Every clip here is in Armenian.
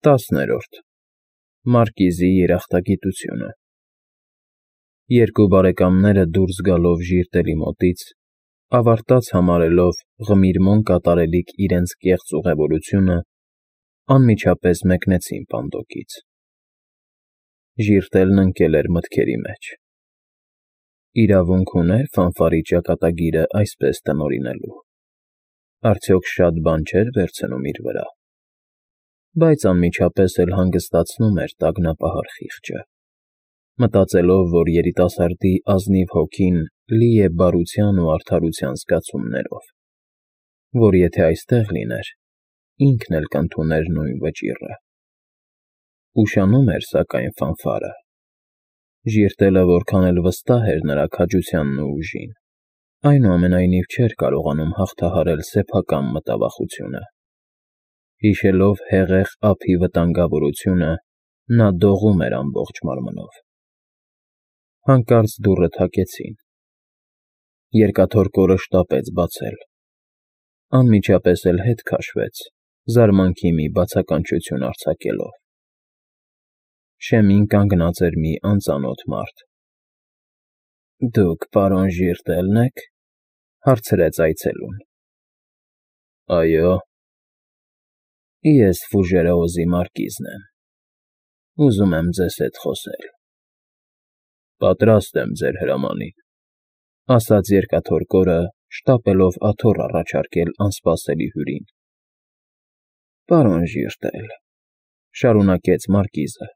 10-րդ Մարկիզի երախտագիտությունը Երկու բարեկամները դուրս գալով ժիրտելի մոտից, ավարտած համարելով ղմիրմոն կատարելիք իրենց կեղծ ուղևորությունը, անմիջապես մեկնեցին պանդոկից։ Ժիրտելն ընկել էր մտքերի մեջ։ Իրավունք ուներ ֆանֆարի ճակատագիրը այսպես տնօրինելու։ Արդյոք շատ բան չէր վերցնում իր վրա։ Բայց անմիջապես էլ հանգստացնում էր տագնապահար խիղճը, մտածելով, որ երիտասարդի ազնիվ հոգին լի է բարության ու արդարության զգացումներով, որ եթե այստեղ լիներ, ինքն էլ կընդուներ նույն վճիռը։ Ուշանում էր, սակայն, ֆանֆարը։ Ժիրտելը որքան էլ վստահ էր նրա քաջությանն ու ուժին, այնուամենայնիվ չէր կարողանում հաղթահարել սեփական մտավախությունը։ Հիշելով հեղեղ ափի վտանգավորությունը, նա դողում էր ամբողջ մարմնով։ Հանկարծ դուռը թակեցին։ Երկաթոր կորը շտապեց բացել։ Անմիջապես էլ հետ քաշվեց, զարմանքի մի բացականչություն արձակելով։ Շեմին կանգնած էր մի անծանոթ մարդ։ «Դուք պարոն Ժիրտելն եք,֊ հարցրեց այցելուն։ «Այո»։ «Ես Ֆուժերեոզի մարկիզն եմ։ Ուզում եմ ձեզ հետ խոսել»։ «Պատրաստ եմ ձեր հրամանին», ասաց երկաթոր կորը, շտապելով աթոռ առաջարկել անսպասելի հյուրին։ «Պարոն Ժիրտել,֊ շարունակեց մարկիզը,֊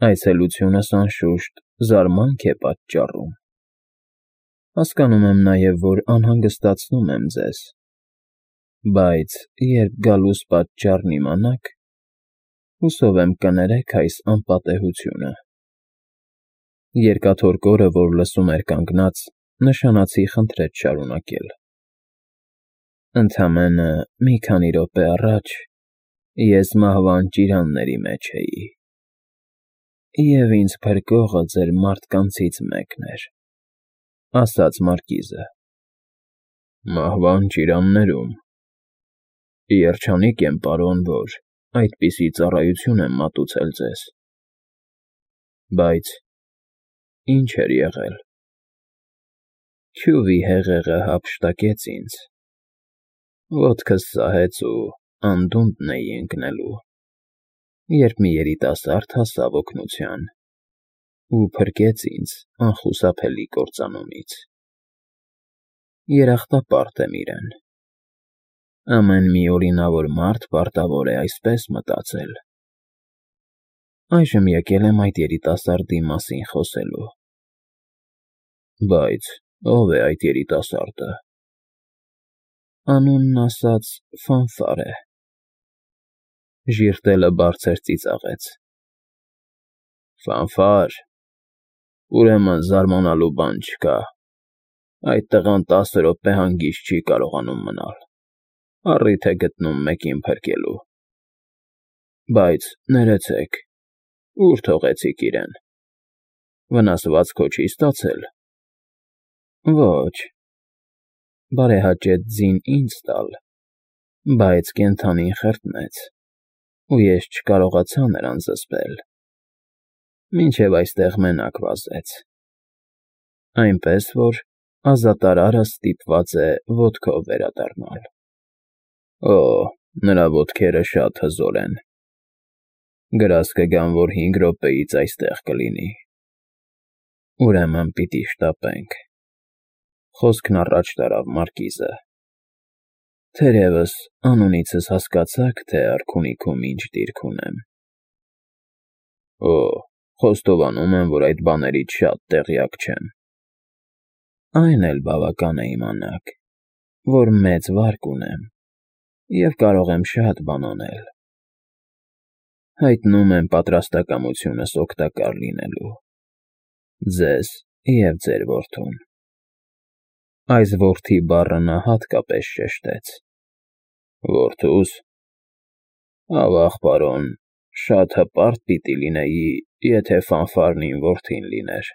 այցելությունս, անշուշտ, զարմանք է պատճառում։ Հասկանում եմ նաև, որ անհանգստացնում եմ ձեզ, բայց երբ գալուս պատճառն իմանաք, հուսով եմ կներեք այս անպատեհությունը»։ Երկաթոր կորը, որ լսում էր կանգնած, նշանացի խնդրեց շարունակել։ «Ընդամենը մի քանի րոպե առաջ ես մահվան ճիրանների մեջ էի, և ինձ փրկողը ձեր մարդկանցից մեկն էր,֊ ասաց մարկիզը։ «Մահվան ճիրաններում… Երջանիկ եմ, պարոն, որ այդպիսի ծառայություն եմ մատուցել ձեզ։ Բայց ի՞նչ էր եղել։ Քյուվի հեղեղը հափշտակեց ինձ, ոտքս սահեց ու անդունդն էի ընկնելու, երբ մի երիտասարդ հասավ օգնության ու փրկեց ինձ անխուսափելի կործանումից։ Երախտապարտ եմ իրեն։ Ամեն մի օրինավոր մարդ պարտավոր է այսպես մտածել։ Այժմ եկել եմ այդ երիտասարդի մասին խոսելու»։ «Բայց ո՞վ է այդ երիտասարդը»։ «Անունն ասած Ֆանֆար է»։ Ժիրտելը բարձր ծիծաղեց։ «Ֆանֆար… Ուրեմն զարմանալու բան չկա։ Այդ տղան 10 րոպե հանգիստ չի կարողանում մնալ, առիթ է գտնում մեկին փրկելու։ Բայց ներեցեք, ո՞ւր թողեցիք իրեն։ Վնասվածք հո չի ստացել»։ «Ոչ,֊ բարեհաճեց ձին ինձ տալ, բայց կենդանին խրտնեց, ու ես չկարողացա նրան զսպել, մինչև այստեղ մենակ վազեց, այնպես որ ազատարարը ստիպված է ոտքով վերադառնալ։ Օ՜, նրա ոտքերը շատ հզոր են։ Գրազ կգամ, որ 5 րոպեից այստեղ կլինի։ Ուրեմն պիտի շտապենք»։ Խոսքն առաջ տարավ մարկիզը։ «Թերևս անունիցս հասկացաք, թե արքունիքում ինչ դիրք ունեմ»։ «Օ, խոստովանում եմ, որ այդ բաներից շատ տեղյակ չեմ»։ «Այն էլ բավական է իմանաք, որ մեծ վարկ ունեմ և կարող եմ շատ բան անել։ Հայտնում եմ պատրաստակամությունս օգտակար լինելու։ Ձեզ և ձեր որդուն»։ Այս որդի բառը նա հատկապես շեշտեց։ «Որդուս… Ավաղ, պարոն, շատ հպարտ պիտի լինեի, եթե Ֆանֆարն իմ որդին լիներ։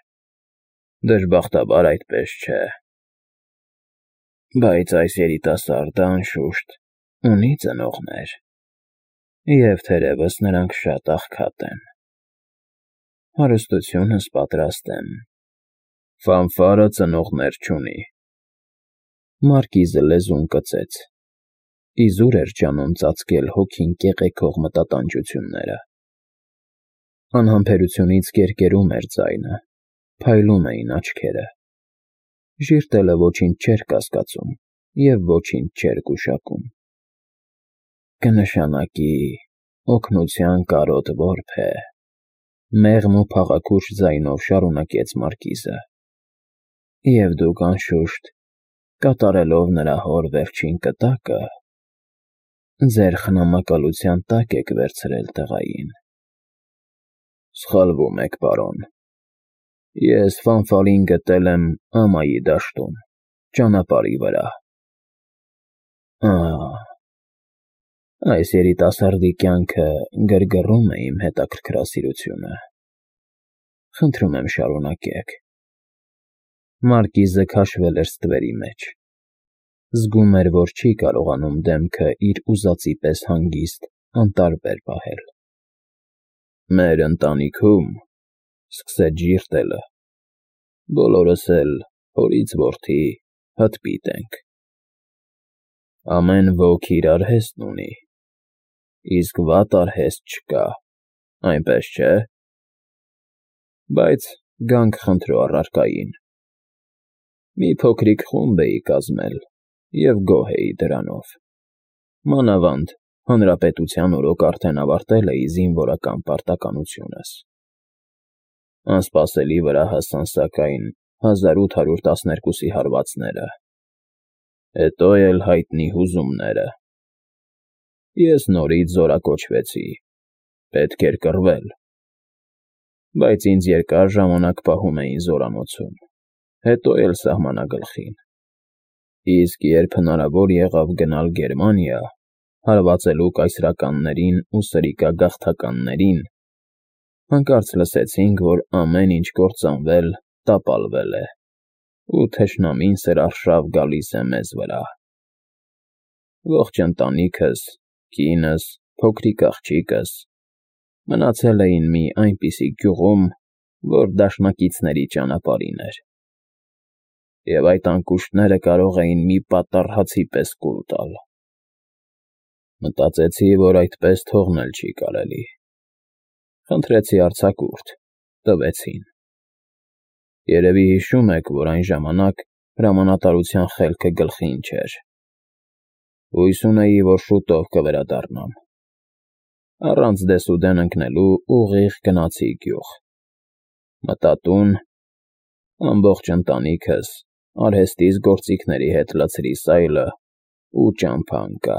Դժբախտաբար այդպես չէ։ Բայց այս երիտասարդը, անշուշտ, ունի ծնողներ, Եվ թերևս նրանք շատ աղքատ են։ Հարստությունս պատրաստ եմ։ Ֆանֆարը ծնողներ չունի։ Մարկիզը լեզուն կծեց։ Իզուր էր ջանում ծածկել հոգին կեղեքող մտատանջությունները։ Անհամբերությունից կերկերում էր ձայնը, փայլում էին աչքերը։ Ժիրտելը ոչինչ չէր կասկածում և ոչինչ չէր գուշակում։ Կնշանակի օգնության կարոտ որբ է, մեղմ ու փաղաքուշ ձայնով շարունակեց Մարկիզը։ Եվ դուք անշուշտ, կատարելով նրա հոր վերջին կտակը, ձեր խնամակալության տակ եք վերցրել տղային։ Սխալվում եք, պարոն։ Ես Ֆանֆարին գտել եմ ամայի դաշտում, ճանապարհի վրա։ Այս երիտասարդի կյանքը գրգռում է իմ հետաքրքրասիրությունը։ Խնդրում եմ շարունակեք։ Մարկիզը քաշվել էր ստվերի մեջ։ Զգում էր, որ չի կարողանում դեմքը իր ուզածի պես հանգիստ, անտարբեր պահել։ Մեր ընտանիքում, սկսեց ժիրտելը, բոլորս էլ հորից որդի հտպիտ ենք։ Ամեն ոք իր արհեստն ունի, իսկ վատ արհեստ չկա, այնպես չէ։ Բայց գանք խնդրո առարկային։ Մի փոքրիկ խումբ էի կազմել և գոհ էի դրանով։ Մանավանդ հանրապետության օրոք արդեն ավարտել էի զինվորական պարտականությունս։ Անսպասելի վրա հասան սակայն 1812-ի հարվածները, հետո էլ հայտնի հուզումները։ Ես նորից զորակոչվեցի, պետք էր կռվել, բայց ինձ երկար ժամանակ պահում էին զորանոցում, հետո էլ սահմանագլխին։ Իսկ երբ հնարավոր եղավ գնալ Գերմանիա, հարվածելու կայսրականներին ու սրիկագաղթականներին, հանկարծ լսեցինք, որ ամեն ինչ կործանվել, տապալվել է, ու թշնամին սրարշավ գալիս է մեզ վրա։ Ողջ ընտանիքս, կինս, փոքրիկ աղջիկս մնացել էին մի այնպիսի գյուղում, որ դաշնակիցների ճանապարհին էր, և այդ անկուշտները կարող էին մի պատառ հացի պես կուլ տալ։ Մտածեցի, որ այդպես թողնել չի կարելի։ Խնդրեցի արձակուրդ, տվեցին։ Երևի հիշում եք, որ այն ժամանակ հրամանատարության խելքը գլխին չէր։ Հույս ունեի, որ շուտով կվերադառնամ։ Առանց դեսուդեն ընկնելու ուղիղ գնացի գյուղ։ Մտա տուն, ամբողջ ընտանիքս, արհեստիս գործիքների հետ լցրի սայլը ու ճամփա ընկա։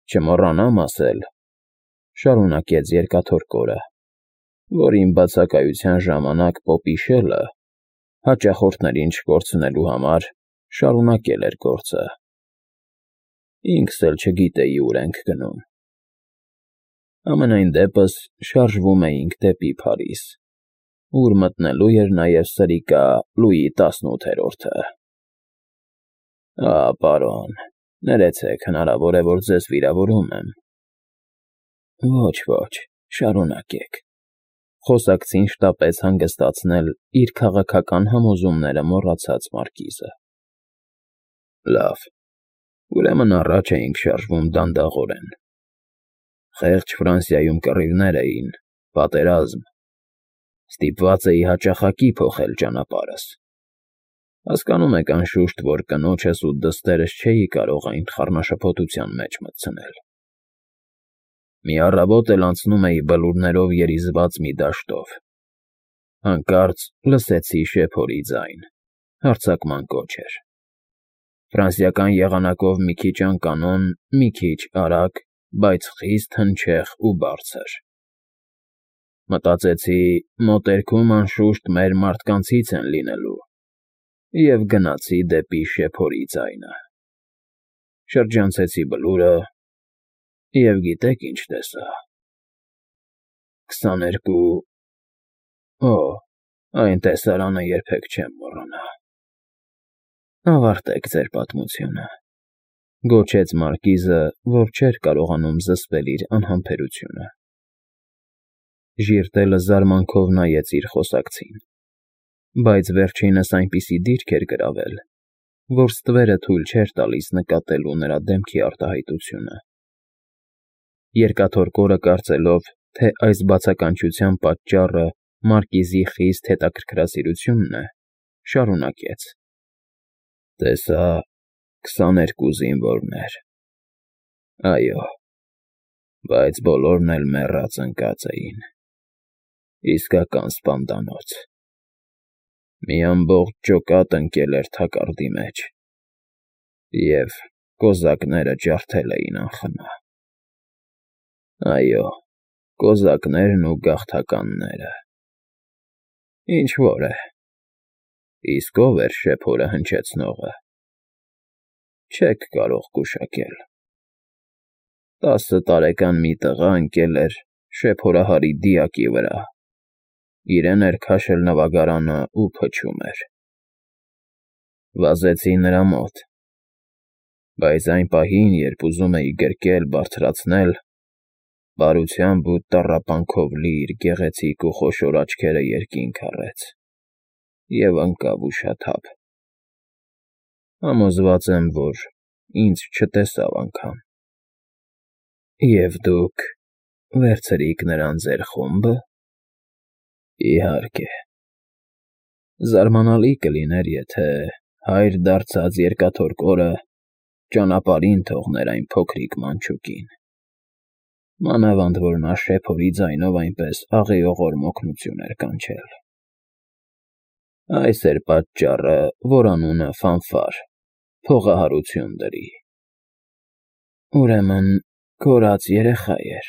Չմոռանամ ասել, շարունակեց երկաթոռ կորը, որ իմ բացակայության ժամանակ պոպի շելը, հաճախորդներին չկորցնելու համար, շարունակել էր գործը։ Ինքս էլ չգիտեի ուր ենք գնում։ Համենայն դեպս շարժվում էինք դեպի Փարիզ, ուր մտնելու էր նաև սրիկա Լուի 18-րդը։ Պարոն, ներեցեք, հնարավոր է, որ ձեզ վիրավորում եմ։ Ոչ, շարունակեք։ Խոսակցին շտապեց հանգստացնել իր քաղաքական համոզումները մոռացած Մարկիզը։ Լավ, ուրեմն առաջ էինք շարժվում դանդաղորեն։ Խեղճ Ֆրանսիայում կռիվներ էին, պատերազմ։ Ստիպված էի հաճախակի փոխել ճանապարհս։ Հասկանում եք, անշուշտ, որ կնոջս ու դստերս չէի կարող այն խառնաշփոթության մեջ մտցնել։ Մի առավոտ էլ անցնում էի բլուրներով երիզված մի դաշտով։ Հանկարծ լսեցի շեփորի ձայն, հարձակման կոչ էր։ Ֆրանսիական եղանակով մի քիչ անկանոն, մի քիչ արագ, բայց խիստ հնչեղ ու բարձր։ Մտածեցի, մոտերքում անշուշտ մեր մարդկանցից են լինելու, և գնացի դեպի շեփորի ձայնը։ Շրջանցեցի բլուրը և գիտեք ինչ տեսա։ 22… Այն տեսարանը երբեք չեմ մոռանա։ Ավարտեք ձեր պատմությունը։ Գոչեց մարկիզը, որ չէր կարողանում զսպել իր անհամբերությունը։ Ժիրտելը զարմանքով նայեց իր խոսակցին, բայց վերջինս այնպիսի դիրք էր գրավել, որ ստվերը թույլ չէր տալիս նկատելու նրա դեմքի արտահայտությունը։ Երկաթորկորը, կարծելով, թե այս բացականչության պատճառը մարկիզի խիստ հետաքրքրասիրությունն է, շարունակեց. Տեսա 22 զինվորներ։ Այո, բայց բոլորն էլ մեռած ընկած էին։ Իսկական սպանդանոց։ Մի ամբողջ ջոկատ ընկել էր թակարդի մեջ, և կոզակները ջարդել էին անխնա։ Այո, կոզակներն ու գաղթականները։ Ինչ֊որ է, իսկ ով էր շեփորը հնչեցնողը։ Չեք կարող գուշակել։ 10 տարեկան մի տղա ընկել էր շեփորահարի դիակի վրա, իրեն էր քաշել նավագարանը ու փչում էր։ Վազեցի նրա մոտ, բայց այն պահին, երբ ուզում էի գրկել, բարձրացնել, բարությամբ ու տառապանքով լի իր գեղեցիկ ու խոշոր աչքերը երկինք առեց և ընկավ ուշաթափ։ Համոզված եմ, որ ինձ չտեսավ անգամ։ Եվ դուք վերցրիք նրան ձեր խո՞ւմբը։ Իհարկե։ Զարմանալի կլիներ, եթե հայր դարձած երկաթորկորը ճանապարհին թողներ այն փոքրիկ մանչուկին, մանավանդ որ նա շեփորի ձայնով այնպես աղիողորմ օգնություն էր կանչել։ Այս էր պատճառը, որ անունը Ֆանֆար, փողահարություն դրի։ Ուրեմն կորած երեխա էր։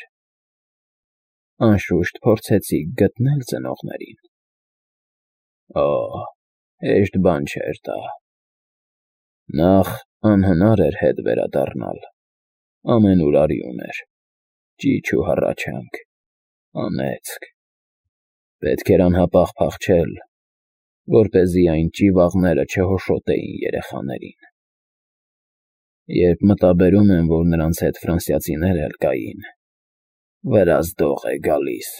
Անշուշտ փորձեցիք գտնել ծնողներին։ Օ, հեշտ բան չէր դա։ Նախ անհնար էր հետ վերադառնալ, ամենուր արյուն էր, ճիչ ու հառաչանք, անեծք։ Պետք էր անհապաղ փախչել, որպեսզի այն ճիվաղները չհոշոտեին երեխաներին։ Երբ մտաբերում եմ, որ նրանց հետ ֆրանսիացիներ էլ կային, վրաս դող է գալիս։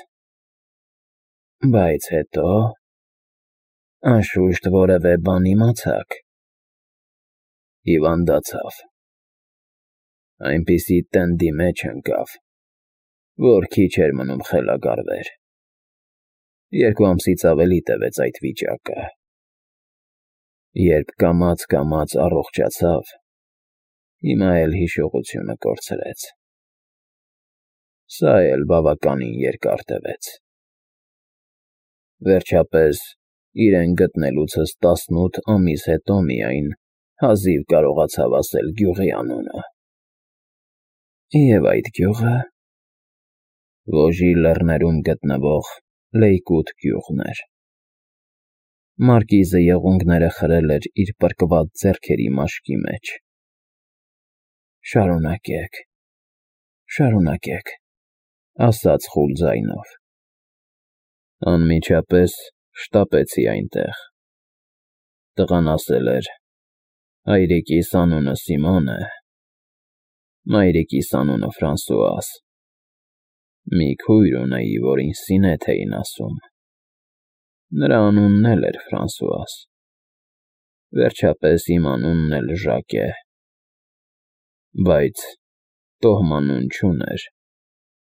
Բայց հետո… Անշուշտ որևէ բան իմացաք։ Հիվանդացավ։ Այնպիսի տնդի մեջ ընկավ, որ քիչ էր մնում խելագարվեր։ 2 ամսից ավելի տևեց այդ վիճակը։ Երբ կամաց առողջացավ, հիմա էլ հիշողությունը կորցրեց։ Սա էլ բավականին երկար տևեց։ Վերջապես, իրեն գտնելուցս 18 ամիս հետո միայն հազիվ կարողացավ ասել գյուղի անունը։ Եվ այդ գյուղը Վոժի լեռներում գտնվող Լեյկութ գյուղն էր։ Մարկիզը եղունգները խրել էր իր պրկված ձեռքերի մաշկի մեջ։ Շարունակեք, շարունակեք, ասաց խուլ ձայնով։ Անմիջապես շտապեցի այնտեղ։ Տղան ասել էր. հայրիկիս անունը Սիմոն է, մայրիկիս անունը Ֆրանսուաս։ Մի քույր ունեի, որին Սինեթ էին ասում։ Նրա անունն էլ էր Ֆրանսուաս։ Վերջապես իմ անունն էլ Ժակ է։ Բայց տոհմանուն չուներ,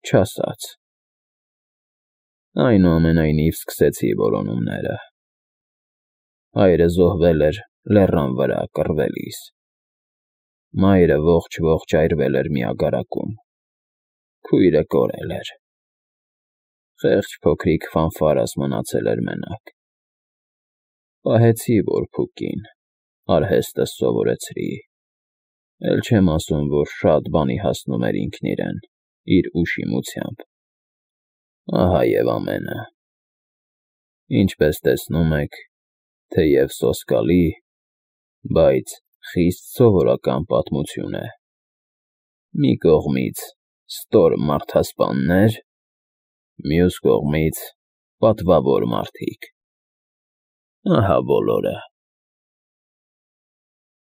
չասաց։ Այնուամենայնիվ սկսեցի որոնումները։ Հայրը զոհվել էր լեռան վրա կռվելիս։ Մայրը ողջ այրվել էր մի ագարակում։ Քույրը կորել էր։ Խեղճ փոքրիկ Ֆանֆարս մնացել էր մենակ։ Պահեցի որբուքին, արհեստս սովորեցրի։ Էլ չեմ ասում, որ շատ բանի հասնում էր ինքն իրեն, իր ուշիմությամբ։ Ահա և ամենը։ Ինչպես տեսնում եք, թեև սոսկալի, բայց խիստ սովորական պատմություն է։ Մի կողմից ստոր մարդասպաններ, մյուս կողմից պատվավոր մարդիկ։ Ահա բոլորը։